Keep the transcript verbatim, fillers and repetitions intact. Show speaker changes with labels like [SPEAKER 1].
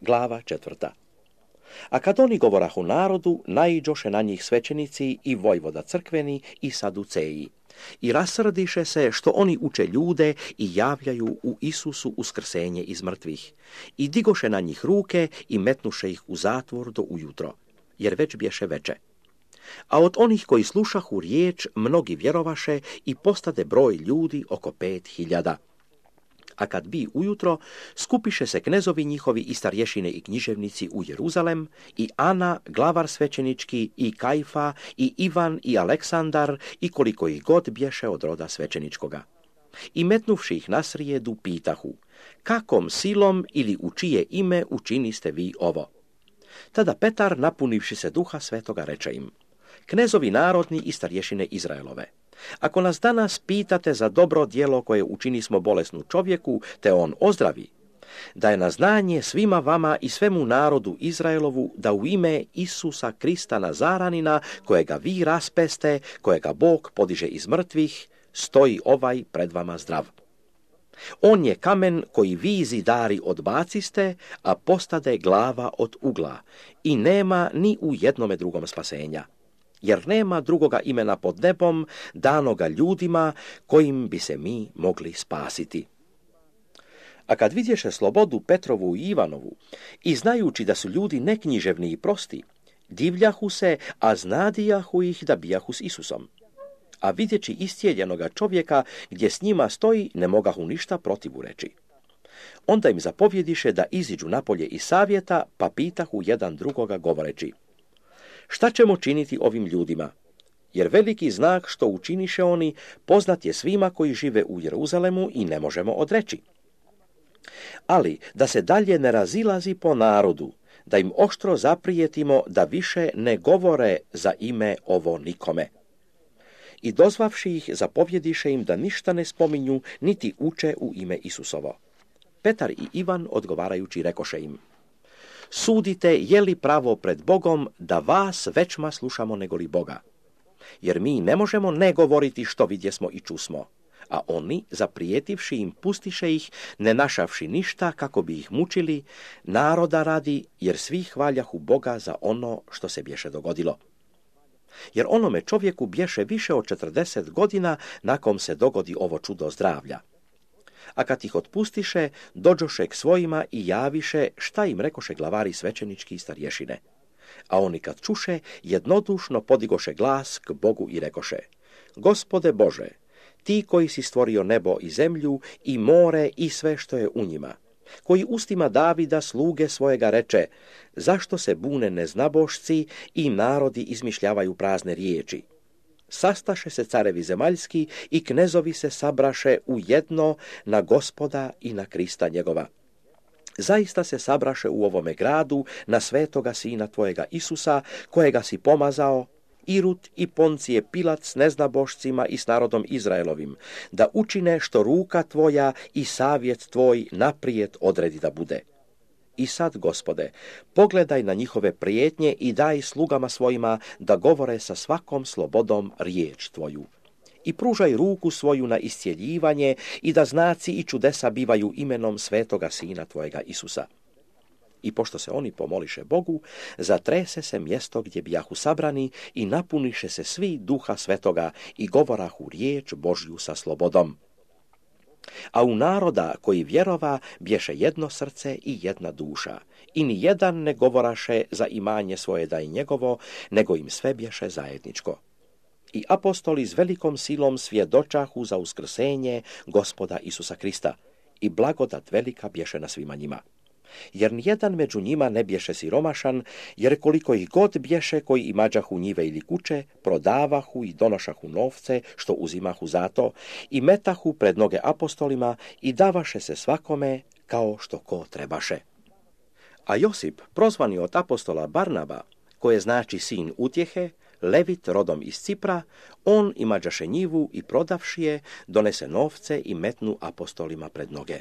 [SPEAKER 1] Glava četvrta. A kad oni govorahu narodu, naiđoše na njih svećenici i vojvoda crkveni i saduceji. I rasrdiše se što oni uče ljude i javljaju u Isusu uskrsenje iz mrtvih. I digoše na njih ruke i metnuše ih u zatvor do ujutro, jer već bješe veče. A od onih koji slušahu riječ, mnogi vjerovaše i postade broj ljudi oko pet hiljada. A kad bi ujutro, skupiše se knezovi njihovi i starješine i književnici u Jeruzalem, i Ana, glavar svećenički, i Kajfa, i Ivan, i Aleksandar, i koliko ih god bješe od roda svećeničkoga. I metnuvši ih na srijedu, pitahu, kakom silom ili u čije ime učiniste vi ovo? Tada Petar, napunivši se duha svetoga, reče im, knezovi narodni i starješine Izraelove, ako nas danas pitate za dobro djelo koje učinismo bolesnu čovjeku, te on ozdravi, da je na znanje svima vama i svemu narodu Izraelovu da u ime Isusa Krista Nazaranina, kojega vi raspeste, kojega Bog podiže iz mrtvih, stoji ovaj pred vama zdrav. On je kamen koji vi zidari odbaciste, a postade glava od ugla, i nema ni u jednome drugom spasenja. Jer nema drugoga imena pod nebom danoga ljudima kojim bi se mi mogli spasiti. A kad vidješe slobodu Petrovu i Ivanovu i znajući da su ljudi neknjiževni i prosti, divljahu se, a znadijahu ih da bijahu s Isusom. A vidjeći istjeljenoga čovjeka gdje s njima stoji, ne mogahu ništa protivu reći. Onda im zapovjediše da iziđu napolje iz savjeta, pa pitahu jedan drugoga govoreći, šta ćemo činiti ovim ljudima? Jer veliki znak što učiniše oni poznat je svima koji žive u Jeruzalemu i ne možemo odreći. Ali da se dalje ne razilazi po narodu, da im oštro zaprijetimo da više ne govore za ime ovo nikome. I dozvavši ih, zapovjediše im da ništa ne spominju, niti uče u ime Isusovo. Petar i Ivan odgovarajući rekoše im, sudite je li pravo pred Bogom da vas većma slušamo nego li Boga. Jer mi ne možemo ne govoriti što vidjesmo i čusmo. A oni, zaprijetivši im, pustiše ih, ne našavši ništa kako bi ih mučili, naroda radi, jer svi hvaljahu Boga za ono što se bješe dogodilo. Jer onome čovjeku bješe više od četrdeset godina nakon se dogodi ovo čudo zdravlja. A kad ih otpustiše, dođoše k svojima i javiše šta im rekoše glavari svećenički i starješine. A oni kad čuše, jednodušno podigoše glas k Bogu i rekoše, Gospode Bože, ti koji si stvorio nebo i zemlju i more i sve što je u njima, koji ustima Davida sluge svojega reče, zašto se bune neznabošci i narodi izmišljavaju prazne riječi? Sastaše se carevi zemaljski i knezovi se sabraše u jedno na Gospoda i na Krista njegova. Zaista se sabraše u ovome gradu na svetoga sina tvojega Isusa, kojega si pomazao, Irut i Poncije Pilat s neznabošcima i s narodom Izraelovim, da učine što ruka tvoja i savjet tvoj naprijed odredi da bude. I sad, Gospode, pogledaj na njihove prijetnje i daj slugama svojima da govore sa svakom slobodom riječ tvoju. I pružaj ruku svoju na iscjeljivanje i da znaci i čudesa bivaju imenom svetoga sina tvojega Isusa. I pošto se oni pomoliše Bogu, zatrese se mjesto gdje bijahu sabrani i napuniše se svi duha svetoga i govorahu riječ Božju sa slobodom. A u naroda koji vjerova bješe jedno srce i jedna duša, i ni jedan ne govoraše za imanje svoje da je njegovo, nego im sve bješe zajedničko. I apostoli s velikom silom svjedočahu za uskrsenje Gospoda Isusa Krista, i blagodat velika bješe na svima njima. Jer nijedan među njima ne bješe siromašan, jer koliko ih god bješe koji imađahu njive ili kuće, prodavahu i donošahu novce, što uzimahu zato, i metahu pred noge apostolima i davaše se svakome kao što ko trebaše. A Josip, prozvani od apostola Barnaba, koje znači sin utjehe, Levit rodom iz Cipra, on imađaše njivu i prodavši je, donese novce i metnu apostolima pred noge.